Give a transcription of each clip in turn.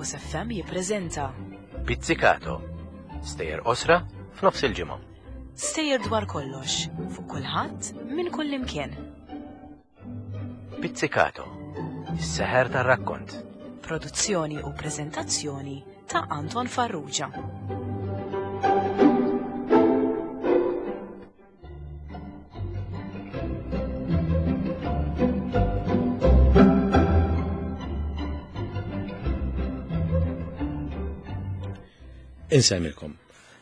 Campus FM jippreżenta Pizzicato. Stejjer qosra f'nofs il-ġimgħa. Stejjer dwar kollox, fuq kulħadd, minn kull imkien. Pizzicato. Is-seħer tar-rakkont. Produzzjoni u preżentazzjoni ta' Anton Farrugia. Insemmilkom.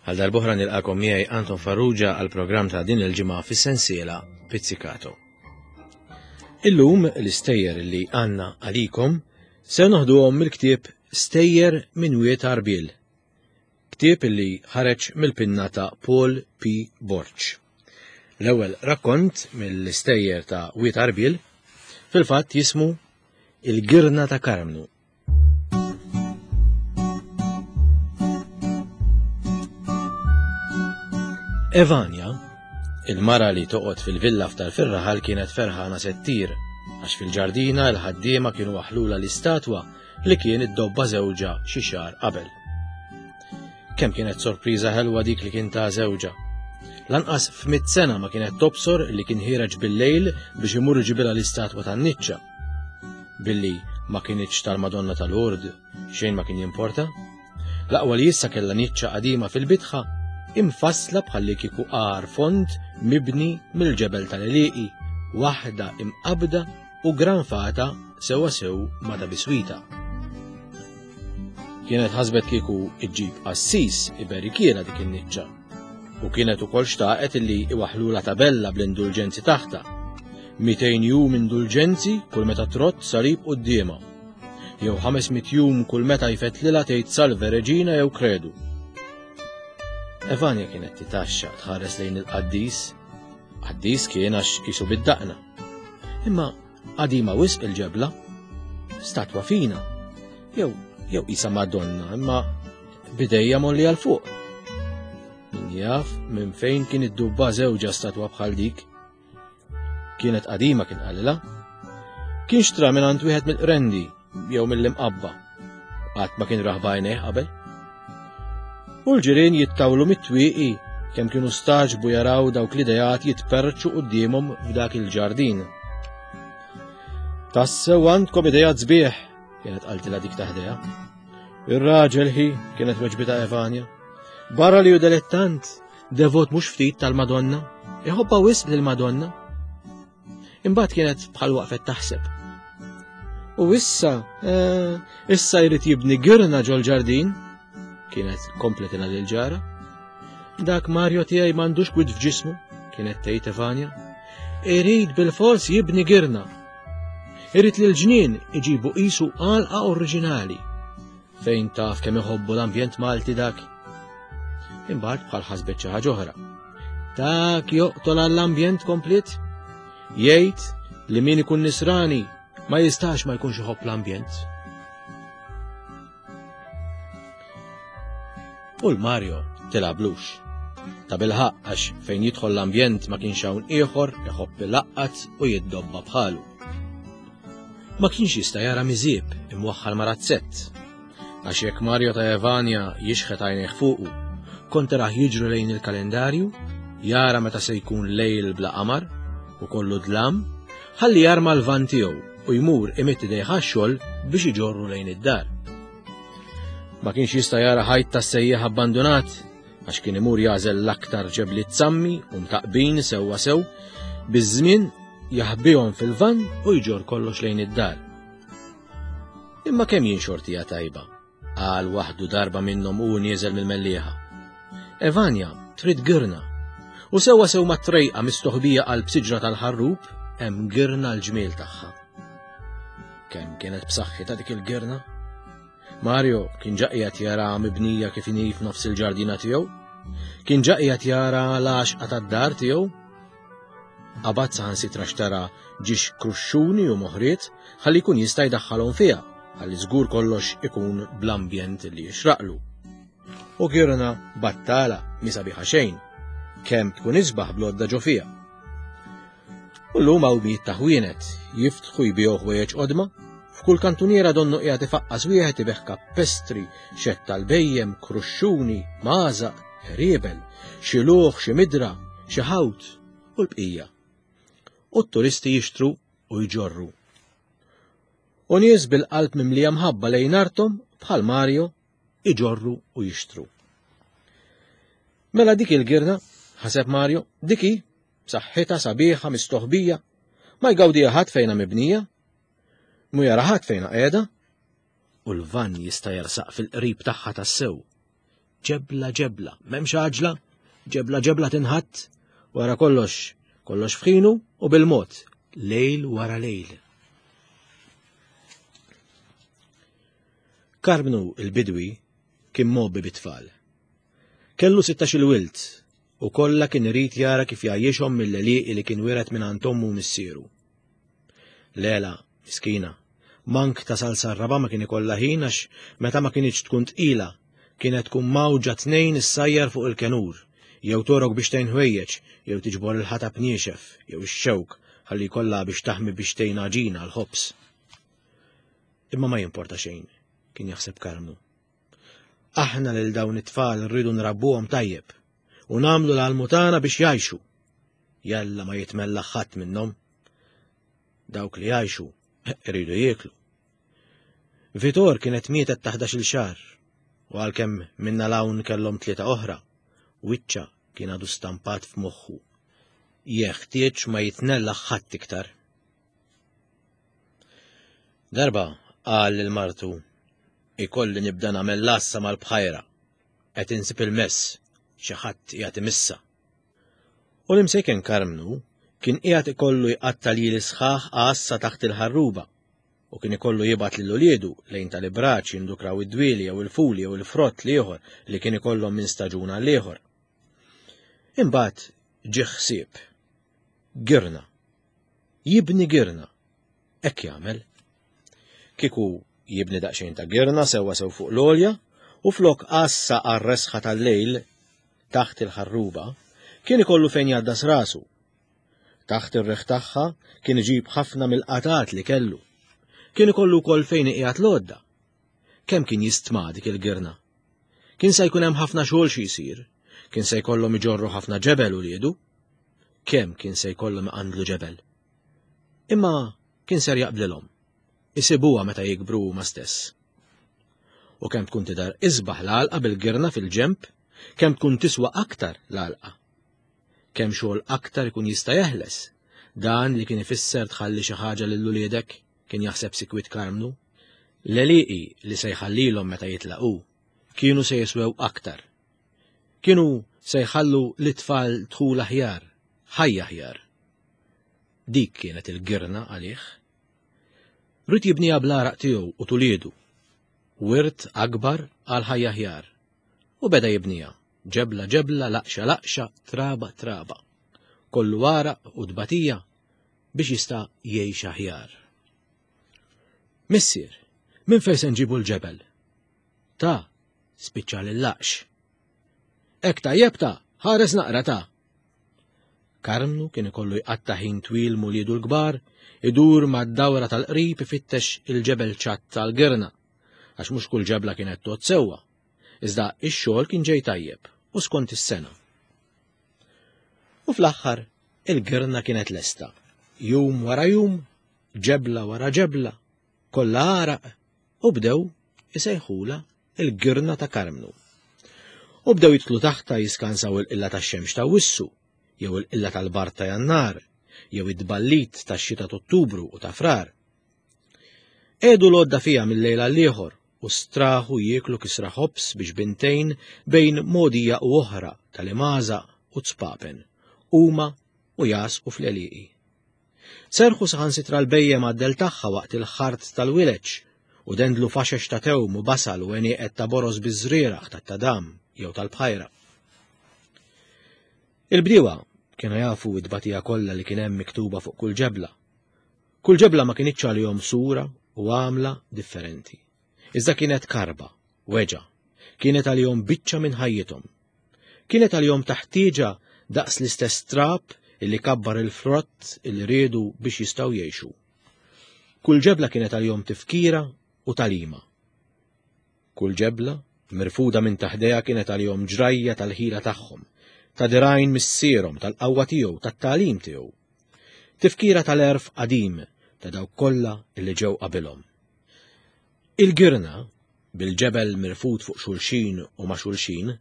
Għal darbohra nilqakom miegħi Anton Farrugia għal programm ta' din il-ġimgħa fis-sensiela Pizzicato. Illum l-istejjer li għandna għalikom se noħduhom mill-ktieb Stejjer minn Wied Għarbiel Ktieb li ħareġ mill-pinna ta' Paul P. Borg. L-ewwel rakkont mill-istejjer ta' Wied Għarbiel fil-fatt jismu Il-Girna ta' Karmnu. Evania, il-mara li toqgħod fil-villa f'tal fir-raħal kienet ferħana settir għax fil-ġardina l-ħaddiema kienu waħlula l-istatwa li kien iddobba żewġha xi xahar qabel. Kemm kienet sorpriża ħelwa dik li kien ta' żewġha. Lanqas f'mit sena ma kienet tobsor li kien ħireġ bil-lejl biex imur iġibilha l-istatwa tan-niċċa. Billi ma kienitx tal-Madonna tal-Ord, xejn ma kien jimporta. L-aqwa li issa kellha niċċa qadima fil-bitħa, imfassla bħalli kieku għar fond mibni mill-ġebel tal-eliqi, waħda imqabda u granfata sewwa sew ma' ta' biswita. Kienet ħasbet kieku iġġib qassis iberikiela dik in-niċċa u kienet ukoll xtaqet illi iwaħlula tabella bl-indulġenzi taħta. 200 jum indulġenzi kull meta trott salib quddiemha. Jew 500 jum kull meta jfettlilha tgħid Salve Reġina jew Kredu. Evania kienet titaxxa tħares lejn il-qaddis. Qaddis kien għax qisu bid-daqna. Imma qadima wisq il-ġebla, statwa fina, jew jew isa Madonna, imma bidejja molli għal fuq. Min jaf minn fejn kien id-dubba żewġa statwa bħal dik. Kienet qadima kien qalilha. Kien xtra minn għand wieħed mill-qrendi jew mill-imqabba. Qatt ma kien rah b'għajnejh qabel. U l-ġirien jittawlu mit-twieqi kemm kienu staġbu jaraw dawk l-idejat jitperċu quddiemhom f'dak il-ġardin. Tassew għandkom idejat sbieħ, kienet qaltilha dik taħdejha. Ir-raġel hi, kienet weġbita Evanja. Barra li hu delettant, devot mhux ftit tal-Madonna, iħobba wisq lill-Madonna. Imbagħad kienet bħal waqfet taħseb. U issa, eh, issa jrid jibni girna ġol-ġardin, kienet kompletina lil ġara. Dak Mario tiegħi m'għandux kwid f'ġismu, kienet tgħid Evanja. Irid bil-fors jibni girna. Irid li l-ġnien iġibu qisu għalqa oriġinali. Fejn taf kemm iħobbu l-ambjent Malti dak? Imbagħad bħal ħasbet xi ħaġa oħra. Dak joqtol għall-ambjent komplet? Jgħid li min ikun nisrani ma jistax ma jkunx iħobb l-ambjent. U l-Mario tilablux. Ta' bilħaq għax fejn jidħol l-ambjent ma kienx hawn ieħor iħobb ilaqqat u jiddobba bħalu. Ma kienx jista' jara miżieb imwaħħal ma' razzett. Għax jekk Mario ta' Evania jixħet għajnejh fuqu, kont tarah jiġru lejn il-kalendarju, jara meta se jkun lejl bla qamar u kollu dlam, ħalli jarma l-van tiegħu u jmur imidd idejh għax-xogħol biex iġorru lejn id-dar. Ma kienx jista' jara ħajt tas-sejjaħ abbandunat għax kien imur jagħżel l-aktar ġebliet sammi u mtaqbin sewwa sew, biż-żmien jaħbihom fil-vann u jġorr kollox lejn id-dar. Imma kemm jien xortija tajba, qal waħdu darba minnhom u nieżel mill-mellieħa. Evanja, trid girna. U sewwa sew mat-trejqa mistoħbija qalb siġra tal-ħarrub hemm girna l-ġmiel tagħha. Kemm kienet b'saħħitha dik il-girna? Mario kien ġa qiegħed jara mibnija kif inhi f'nofs il-ġardina tiegħu. Kien ġa qiegħed jara l-għaxqa tad-dar tiegħu. Qabad saħansitra xtara ġiex kruxxuni u moħriet ħalli jkun jista' jdaħħalhom fiha, ħalli żgur kollox ikun bl-ambjent li jixraqlu. U girna battala mi sabiħa xejn, kemm tkun isbaħ blodda ġo fiha. U llum hawn mijiet ta' ħwienet jiftħu jbigħu ħwejjeġ qodma. F'kull kantuniera donnu qiegħed ifaqqas wieħed ibigħ kappestri, xedd tal-bhejjem, kruxxuni, magħżaq, ħriebel, xi luħ, xi midra, xi ħawt u l-bqija. U t-turisti jixtru u jġorru. U nies bil-qalb mimlija mħabba lejn arthom bħal Mario iġorru u jixtru. Mela dik il-girna, ħaseb Mario, dik hi, b'saħħitha sabiħa mistoħbija, ma jgawdiha ħadd fejna mibnija, mu jara ħadd fejna qiegħda, u l-vann jista' jersaq fil-qrib tagħha tassew. Ġebla ġebla, m'hemmx għaġla, ġebla ġebla tinħatt, wara kollox, kollox f'ħinu u bil-mod, lejl wara lejl. Karmnu il-bidwi kien mgħobbi bit-tfal. Kellu 16-il wild u kollha kien irid jara kif jgħajjixhom mill-għelieqi li kien wiret mingħand ommu u missieru. Lela, miskina, mank tasal sar-raba' ma kien ikollha ħin għax meta ma kinitx tkun tqila, kienet tkun mgħawġa tnejn issajjar fuq il-kenur, jew torok biex tgħin ħwejjeġ, jew tiġbor il-ħatab niexef, jew ix-xewk ħalli jkollha biex taħmi biex tgħin għaġina għall-ħobż. Imma ma jimporta xejn, kien jaħseb Karmnu. Aħna lil dawn it-tfal rridu nrabbuhom tajjeb u nagħmlu l-almu tagħna biex jgħixu. Jalla ma jitmella ħadd minnhom. Dawk li jgħixu iridu jieklu. Vitor kienet mietet ta' 11-il xahar u għalkemm minna l-hawn kellhom tlieta oħra, wiċċa kien għadu stampat f'moħħu. Jeħtieġ ma jitnella ħadd iktar. Darba qal lil martu, ikolli nibda nagħmel l-għassa mal-bħajra. Qed insib il-mess, xi ħadd qiegħed imissa. U l-imsejken Karmnu kien qiegħed ikollu jqatta' lili sħaħ għassa taħt il-ħarruba u kien ikollu jibgħat lil uliedu lejn tal-ibraċ jindukraw id-dwieli jew il-fuli jew il-frott l-ieħor li kien ikollhom minn staġun għal ieħor. Imbagħad ġie ħsieb. Girna. Jibni girna. Hekk jagħmel. Kieku jibni daqsxejn ta' girna sewwa sew fuq l-għolja u flok għassa għar-resħa tal-lejl taħt il-ħarruba, kien ikollu fejn jgħaddas rasu. Taħt ir-riħ tagħha kien iġib ħafna mill-qatat li kellu. Kien ikollu wkoll fejn iqiegħed l-għodda. Kemm kien jistma dik il-girna. Kien se jkun hemm ħafna xogħol xi jsir. Kien se jkollhom iġorru ħafna ġebel uliedu. Kemm kien se jkollhom iqandlu ġebel. Imma kien ser jaqblilhom. Isibuha meta jikbru huma stess. U kemm tkun tidher isbaħ l-għalqa bil-girna fil-ġenb, kemm tkun tiswa aktar l-għalqa. Kemm xogħol aktar ikun jista' jeħles. Dan li kien ifisser tħalli xi ħaġa lil uliedek, kien jaħseb sikwit Karmnu. L-għelieqi li se jħallilhom meta jitlaq hu kienu se jiswew aktar. Kienu se jħallu lit-tfal dħul aħjar, ħajja aħjar. Dik kienet il-girna għalih. Ried jibniha bl-għaraq tiegħu u t'uliedu. Wirt akbar għal ħajja aħjar. U beda jibniha, ġebla ġebla, laqxa laqxa, traba traba. Kollu għaraq u tbatija biex jista' jgħix aħjar. Missier, minn fejn se nġibu l-ġebel? Ta, spiċċa lil-laqx. Hekk tajjeb ta, ħares naqra ta. Karmnu kien ikollu jqatta' ħin twil m'uliedu l-kbar, idur mad-dawra tal-qrib ifittex il-ġebel ċatt tal-girna, għax mhux kull ġebla kienet tgħodd sewwa. Iżda x-xogħol kien ġej tajjeb u skont is-sena. U fl-aħħar, il-girna kienet lesta. Jum wara jum, ġebla wara ġebla, kollha għaraq, u bdew isejħulha il-girna ta' Karmnu. U bdew jidħlu taħtha jiskansaw il-qilla tax-xemx ta' Wissu, jew il-qilla tal-bard ta' Jannar, jew id-tballit tax-xita t'Ottubru u ta' Frar. Qiegħdu l-għodda fiha minn lejl għall-ieħor u straħu jieklu kisra ħobż biex bintejn bejn mogħdija u oħra tal-imgħażaq u t-spapen, huma u jagħsqu fl-għelieqi. Serrħu saħansitra l-bhejjem għad-dell tagħha waqt il-ħart tal-wileġ u dendlu faxex ta' tewm u basal u għenieqed ta' boroż biż-żrieragħ tat-tadam jew tal-bħajra. Il-bdiewa kienu jafu t-tbatija kollha li kien hemm miktuba fuq kull ġebla. Kull ġebla ma kinitx għalihom sura u għamla differenti. Iżda kienet karba, weġgħa, kienet għalihom biċċa minn ħajjithom. Kienet għalihom ta' ħtieġa daqs l-istess trab illi kabbar il-frott illi riedu biex jistgħu jgħixu. Kull ġebla kienet għalihom tifkira u tagħlima. Kull ġebla, mirfuda minn taħdejha kienet għalihom ġrajja tal-ħila tagħhom, ta' dirgħajn missierhom, tal-qawwa tiegħu, tat-tagħlim tiegħu. Tifkira tal-għerf qadim ta' dawk kollha li ġew qabilhom. Il-girna, bil-ġebel mirfud fuq xulxin u ma' xulxin,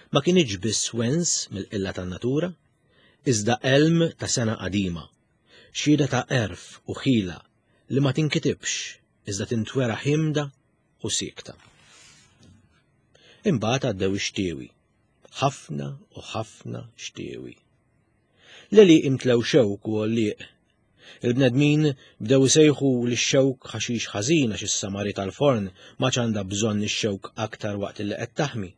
ma kinitx biss wens mill-qilla tan-natura, iżda għelm ta' sengħa qadima, xhieda ta' għerf u ħila li ma tinkitibx iżda tintwera ħiemda u siekta. Imbagħad għaddew ix-xtiewi, ħafna u ħafna xtiewi. L-għelieqi mtlew xewk u għollieq. Il-bnedmin bdew isejħu lix-xewk ħaxix ħażin għax is-samari tal-forn m'għadx għandha bżonn ix-xewk aktar waqt li qed taħmi.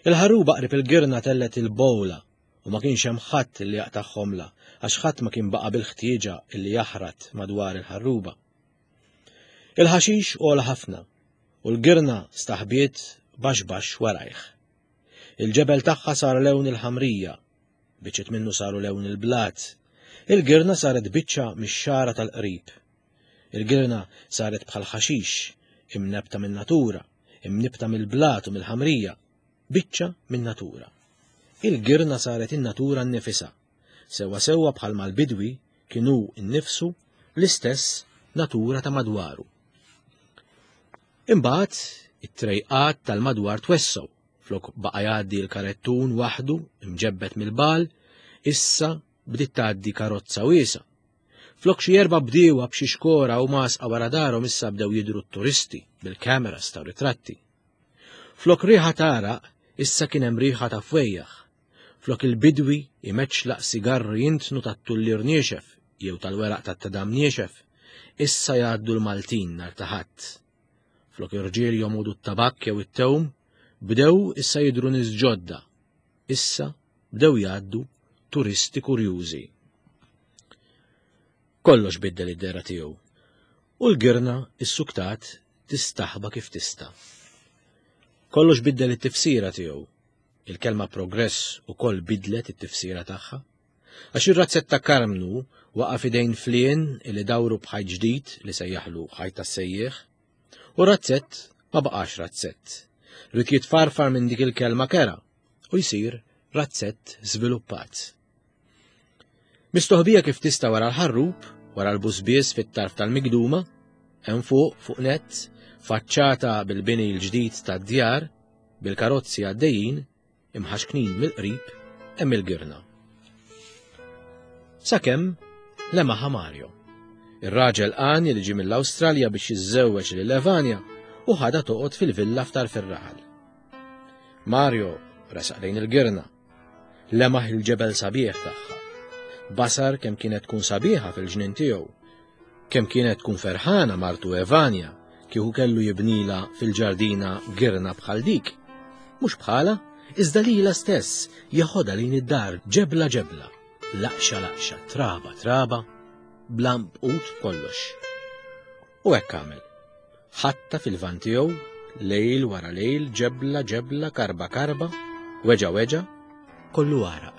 Il-ħarruba qrib il-girna tellgħet il-bowla u ma kienx hemm ħadd li jaqtagħhomlha għax ħadd ma kien baqa' bil-ħtieġa li jaħrat madwar il-ħarruba. Il-ħaxix għola ħafna u l-girna staħbiet baxx baxx warajh. Il-ġebel tagħha sar lewn il-ħamrija, biċċiet minnu saru lewn il-blat. Il-girna saret biċċa mix-xagħra tal-qrib. Il-girna saret bħal ħaxix, imnebta min-natura, imnibta mill-blat u mill-ħamrija, biċċa min-natura. Il-girna saret in-natura nnifisha, sewwa sewwa bħalma l-bidwi kien hu nnifsu l-istess natura ta' madwaru. Imbagħad it-trejqat tal-madwar twessgħu, flok baqa' jgħaddi l-karettun waħdu imġebbed mill-bagħal, issa bdiet tgħaddi karozza wiesgħa. Flok xi erba' bdiewa b'xi xkora u masqa wara darhom issa bdew jidhru t-turisti bil-cameras ta' ritratti. Flok riħa t'għaraq issa kien hemm riħa ta' fwejjaħ. Flok il-bidwi imeċlaq sigarri jintnu tat-tullier niexef jew tal-weraq tat-tadam niexef, issa jgħaddu l-Maltin nhar ta' Ħadd. Flok irġiel jomogħdu t-tabakk jew it-tewm, bdew issa jidhru nies ġodda. Issa bdew jgħaddu turisti kurjużi. Kollox biddel id-dehra tiegħu u l-girna issuktat tistaħba kif tista'. Kollox biddel it-tifsira tiegħu Il-kelma progress ukoll bidlet it-tifsira tagħha. Għax ir-razzett ta' Karmnu waqa' f'idejn flien li dawru b'ħajt ġdid li sejjaħlu ħajt tas-sejjieħ. U razzett ma baqax razzett. Ried jitfarfar minn dik il-kelma kera u jsir razzett żviluppat. Mistoħbija kif tista' wara l-ħarrub, wara l-busbies fit-tarf tal-migduma, hemm fuq fuq nett, faċċata bil-bini l-ġdid tad-djar, bil-karozzi għaddejjin, imħaxknin mill-qrib, hemm il-girna. Sakemm lemaħa Mario. Ir-raġel għani li ġie mill-Awstralja biex jiżżewweġ lil Evania u ħadha toqgħod fil-villa f'tarf ir-raħal. Mario resaq lejn il-girna Lemaħ il-ġebel sabiħ tagħha. Basar kemm kienet tkun sabiħa fil-ġnien tiegħu. Kemm kienet tkun ferħana martu Evanja kieku kellu jibnila fil-ġardina girna bħal dik. Mhux bħala, iżda lila stess jeħodha lejn id-dar ġebla ġebla, laqxa laqxa, traba traba, bla mbqut kollox. U hekk għamel. Ħatta fil-van tiegħu, lejl wara lejl, ġebla ġebla, karba karba, weġa weġa, kollu għaraq.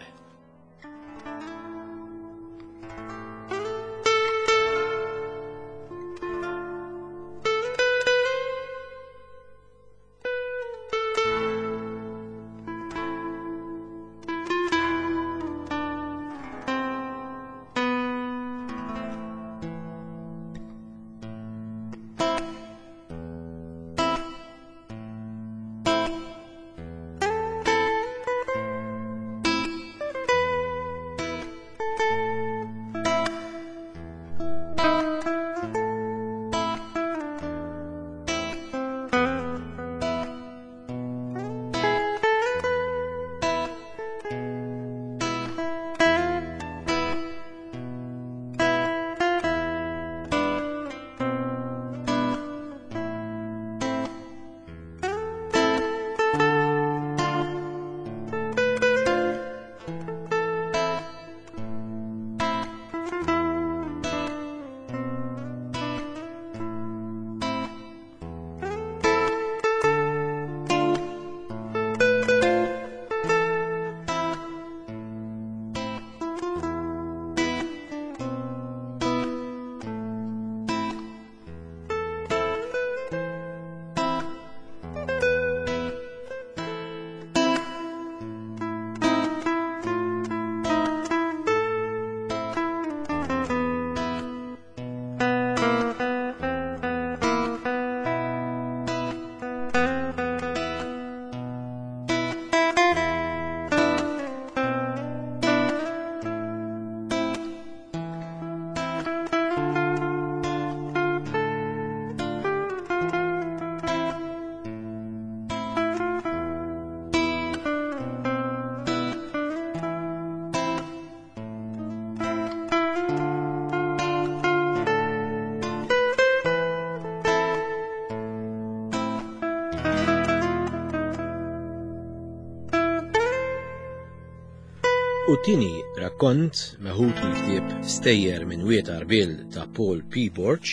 U tini rakkont meħud mill-ktieb Stejjer minn Wied Għarbiel ta' Paul P. Borg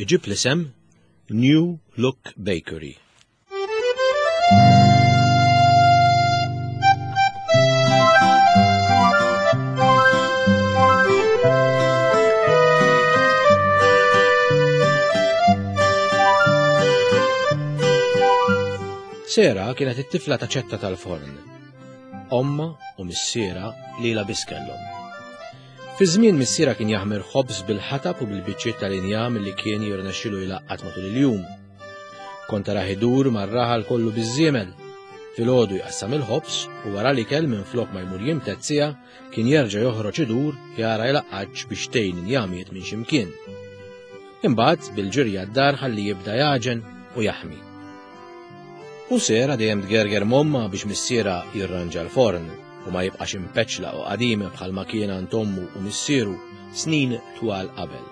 iġib l-isem New Look Bakery. Sera kienet it-tifla ta' ċetta tal-forn. Omma u missiera lila biss kellhom. Fi żmien missiera kien jaħmir ħobż bil-ħatab u bil-biċċiet tal-injam li kien jirnexxilu jlaqqat matul il-jum. Kont tarah idur mar-raħal kollu biż-żiemel. Filgħodu jqassam il-ħobż u wara l-ikel minflok ma jmur jimtedd siegħa kien jerġa' joħroġ idur jara jlaqqatx biex tgħin injamiet minn xi mkien. Imbagħad bil-ġirja d-dar ħalli jibda jagħġen u jaħmi. U sera dejjem tgerger m'ommha biex missiera jirranġa l-forn u ma jibqax impeċla u qadim bħalma kien għand ommu u missieru snin twal qabel.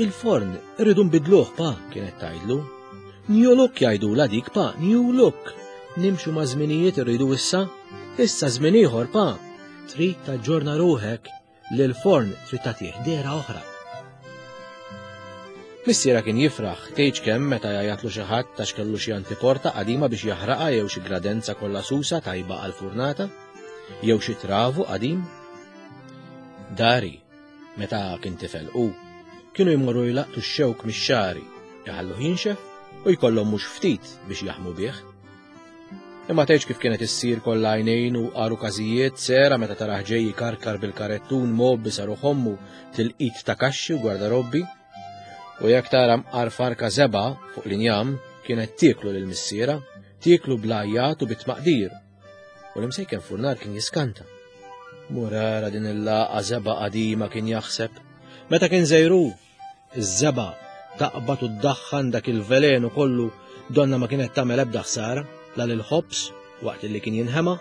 Il-forn irridu nbidluh pa, kienet tgħidlu. New look jgħidula dik pa, new look. Nimxu ma' żminijiet irridu issa, issa żmien ieħor pa. Trid taġġorna ruħek li l-forn trid tagħtih dehra oħra. Missiera kien jifraħ tgħidx kemm meta jgħajatlu xi ħadd għax kellu xi antiporta qadima biex jaħraqha jew xi gradenza kollha susa tajba għall-furnata, jew xi travu qadim. Dari, Meta kien tifel hu, kienu jmorru jlaqtu x-xewk mix-xagħri, iħalluh jinxef u jkollhom mhux ftit biex jaħmu bih. Imma tgħidx kif kienet issir kollha għajnejn u qaru każijiet sera meta tarah ġej jikarkar bil-karettun mgħobbi sa ruħ ommu tilqit ta' kaxxi u gwardarobbi. U jekk tara mqar farka żebgħa fuq l-injam kienet tieklu lil missiera, tieklu bl-għajjat u bit-tmaqdir U l-imsejken furnar kien jiskanta. Murara din il-laqa zeba qadima kien jaħseb. Meta kien zejru, iż-żeba taqbad u ddaħħan dak il-velenu kollu donna ma kienet tagħmel ebda ħsara la lil ħobs waqt li kien jinħema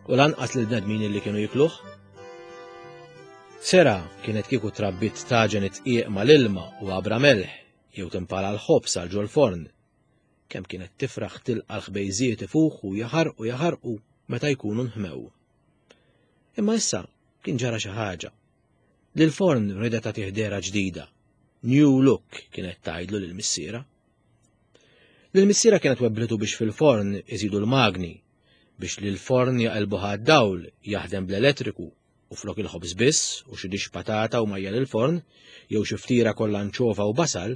u lanqas lil bnedmin li kienu jikluh. Sera kienet kieku trabbit taġen it-tqieq mal-ilma u għabra melħ jew timpala l-ħobs għal ġol-forn. Kemm kienet tifraħ tilqa' l-ħbejżiet ifuħu jaħarqu jaħarqu meta jkunu nħmew. Imma issa kien ġara xi ħaġa. Lil forn ridet tagħtih dehra ġdida. New look kienet tgħidlu lil missiera. Lil missiera kienet webblitu biex fil-forn iżidu l-magni, biex lil forn jaqilbuha għad-dawl jaħdem bl-elettriku u flok il-ħobż biss u xi dixx patata u majjal il-forn, jew xi ftira kollha anċova u basal,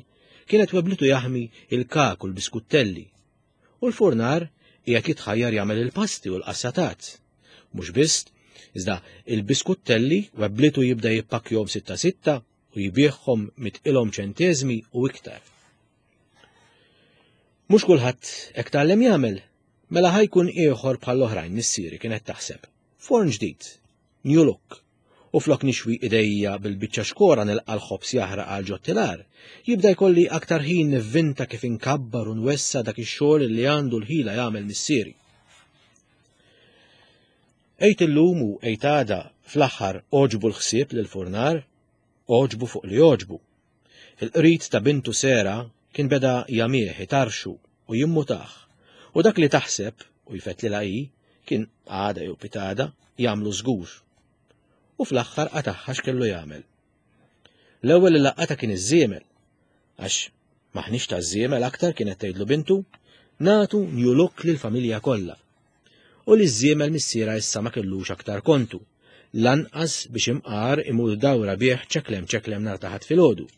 kienet weblitu jaħmi il-kak u l-biskuttelli. U l-furnar qiegħed jitħajjar jagħmel il-pasti u l-qassatat. Mhux biss, iżda il-biskuttelli weblitu jibda jippakkjhom sitta sitta u jbiegħhom mitqilhom ċenteżmi u iktar. Mhux kulħadd hekk tgħallem jagħmel, mela ħajkun ieħor bħall-oħrajn missieri kienet taħseb. Forn ġdid, new look, u flok nixwi idejja bil-biċċa xkora nilqa' l-ħobż jaħraq għal ġot-tilar, jibda jkolli aktar ħin nivvinta kif inkabbar u nwessa' dak ix-xogħol li għandu l-ħila jagħmel missieri. Għid illum u għid għada fl-aħħar għoġbu l-ħsieb lill-furnar, għoġbu fuq li għoġbu. Il-qrid ta' bintu Sera kien beda jagħmih, itarxu u jimmutah, u dak li taħseb u jfettlilha hi kien għada jew pitada jagħmlu żgur. U fl-aħħar qatagħha x'kellu jagħmel. L-ewwel li laqatha kien iż-żiemel, għax maħniex taż-żiemel aktar kienet tgħidlu bintu, nagħtu new look lill-familja kollha. U li ż-żiemel missiera issa ma kellux aktar kontu, lanqas biex imqar imur dawra bih ċeklem ċeklem nhar ta' Ħadd filgħodu.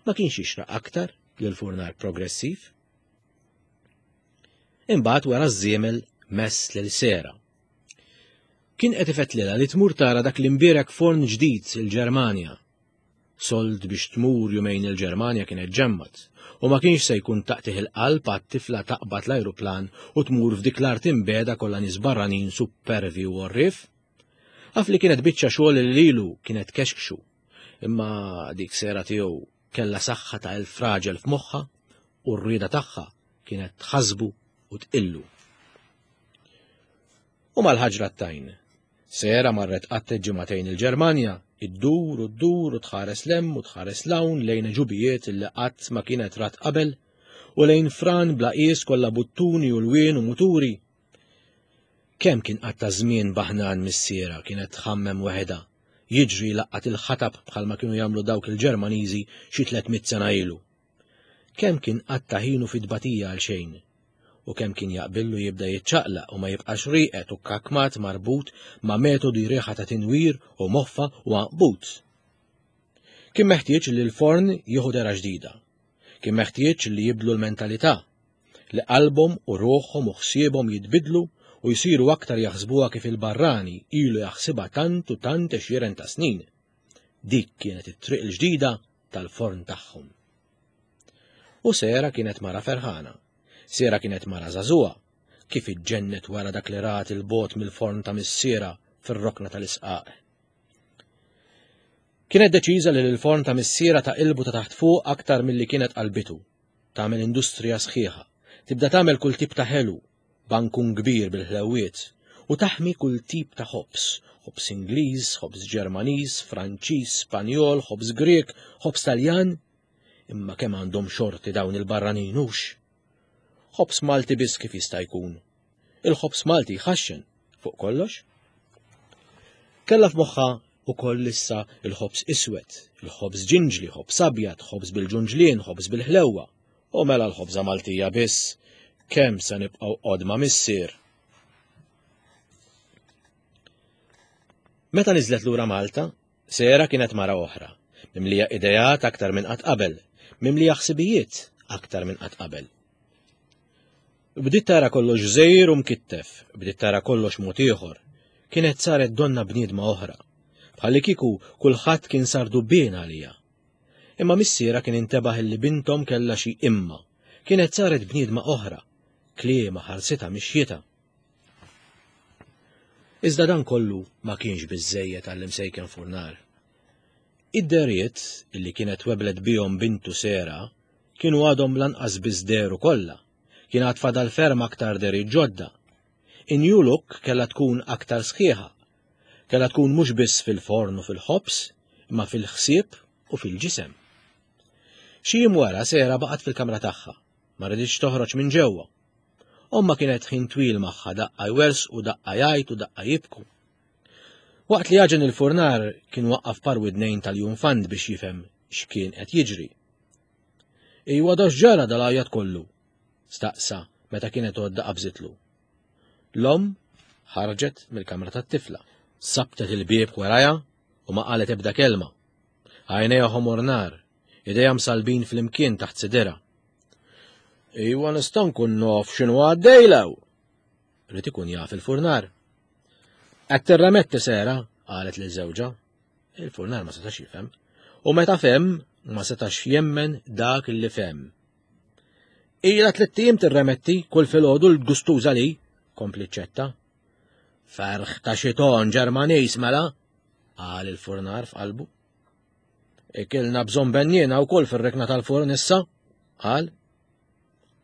Ma kienx jixraq aktar lil furnar progressiv. Imbagħad wara ż-żiemel mess lil Sera. Kien qed ifettlilha li tmur tara dak l-imbierek forn ġdid il-Ġermanja Sold biex tmur jumejn il-Ġermanja kienet ġemmat, u ma kienx se jkun taqtigħ il-qalb għat-tifla taqbad l-ajruplan u tmur f'dik l-art imbegħda kollha nies barranin suppervi u għorrief. Af li kienet biċċa xogħol li lilu kienet kexkxu, imma dik sera tiegħu kellha saħħa ta' elf raġel f'moħħha u r-rieda tagħha kienet tħassbu u tqillu. U mal-ħaġra t-tajn. Sera marret qattet ġimagħtejn il-Ġermanja, iddur u ddur u tħares 'l hemm u tħares 'l hawn lejn għeġubijiet li qatt ma kienet rat qabel u lejn fran bla qies kollha buttuni u lwien u muturi. Kemm kien qatta' żmien baħnan missierha kienet tħammem weħidha, jiġri jlaqqat il-ħatab bħalma kienu jagħmlu dawk il-Ġermaniżi xi 300 sena ilu. Kemm kien qatta' ħinu fi tbatija għal xejn. U kemm kien jaqbillu jibda jiċċaqlaq u ma jibqax rieqed u kakmat marbut ma' metodi riħa ta' tinwir u moffa u għanqbut. Kien meħtieġ li l-forn jieħu dera ġdida. Kien meħtieġ li jibdlu l-mentalità, li qalbhom u ruħhom u ħsiebhom jitbidlu u jsiru aktar jaħsbuha kif il-barrani ilu jaħsibha tant u tant għexieren ta' snin. Dik kienet it-triq il-ġdida tal-forn tagħhom. U Sera kienet mara ferħana. Sera kienet mara żagħżugħa, kif iġġennet wara dak li rat il-bot mill-forn ta' missiera fir-rokna tal-isqaq. Kienet deċiża li l-forn ta' missiera ta' ilbu ta' taħt fuq aktar milli kienet qalbitu. Tagħmel industrija sħiħa, tibda tagħmel kull tip ta' ħelu, bankun kbir bil-ħlewwiet, u taħmi kull tip ta' ħobż, ħobż Ingliż, ħobż Ġermaniż, Franċiż, Spanjol, ħobż Grieg, ħobż Taljan. Imma kemm għandhom xorti dawn il-barranin hux? Ħobż Malti biss kif jista' jkun. Il-ħobż Malti jħaxxen fuq kollox. Kellha f'moħħha ukoll issa il-ħobż iswed, il-ħobż ġinġli, ħobż abjad, ħobż bil-ġunġlien, ħobż bil-ħlewwa. U mela l-ħobża Maltija biss, kemm se nibqgħu qodma missier. Meta niżlet lura Malta, Sera kienet mara oħra, mimlija ideat aktar minn qatt qabel, mimlija ħsibijiet aktar minn qatt qabel. Bdiet tara kollox żgħir u mkittef, bdiet tara kollox mod ieħor. Kienet saret donna bniedma oħra. Bħallikieku kulħadd kien sar dubbien għalija. Imma missiera kien intebaħ illi binthom kellha xi imma. Kienet saret bniedma oħra. Kliema ħarsitha mixjitha. Iżda dan kollu ma kienx biżżejjed għall-imsejken furnar. Id-dehriet illi kienet weblet bihom bintu Sera kienu għadhom lanqas biss dehru kollha. Kien għad fadal ferm aktar dehriet ġodda. In-new look kellha tkun aktar sħiħa. Kellha tkun mhux biss fil-forn u fil-ħobż, imma fil-ħsieb u fil-ġisem. Xi jiem wara Sera baqgħet fil-kamra tagħha, ma riditx toħroġ minn ġewwa. Ommha kienet ħin twil magħha daqqa jwerżqu, daqqa jgħajtu, daqqa jibku. Waqt li għaġen il-furnar kien waqqaf par widnejn tal-jumfant biex jifhem x'kien qed jiġri. Ejwa da x'ġara dal-għajat kollu? staqsa meta kienet għodda qabżitlu. L-omm ħarġet mill-kamra tat-tifla, sabtet il-bieb warajha u ma qalet ebda kelma. Għajnejha ħomor nar, idejha msalbin flimkien taħt sidirha. Ejwa nista' nkun nof x'inhu għaddejlew! Rid ikun jaf il-furnar. Qed tirremetti sera, qalet lil żewġha. Il-furnar ma setax jifhem. U meta fehem, ma setax jemmen dak li fehem. Ila tlitt ijiem tirremetti kull filgħodu l-gustuża li, kompli ċetta. Ferħ ta' xiton Ġermaniż mela, qal il-furnar f'qalbu. Ikilna bżonn benniena wkoll fir-rikna tal-furn issa, qal.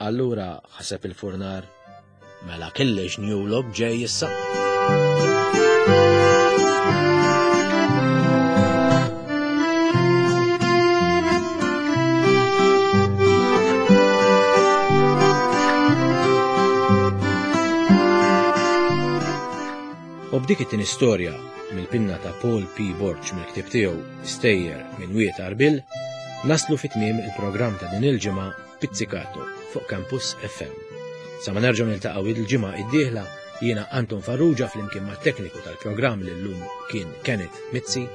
Allura ħaseb il-furnar, mela kellix new look ġej issa. U b'dik it-tieni storja mill-pinna ta' Paul P. Borg mill-ktieb tiegħu Stejjer minn Wied Għarbil, naslu fi tmiem il-programm ta' din il-ġimgħa Pizzicato fuq Campus FM. Sa ma nerġgħu niltaqgħu il-ġimgħa id-dieħla jiena Anton Farrugia flimkien mat-tekniku tal-programm li llum kien Kenneth Mizzi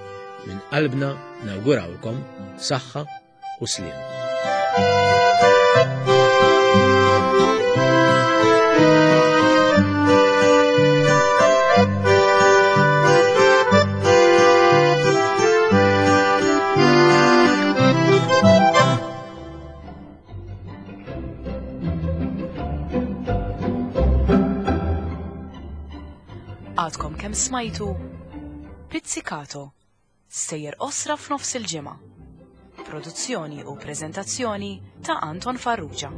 minn qalbna nawgurawlkom saħħa u sliem. Għadkom kemm smajtu Pizzicato, sejjer qosra f'nofs il-ġimgħa. Produzzjoni u preżentazzjoni ta' Anton Farrugia.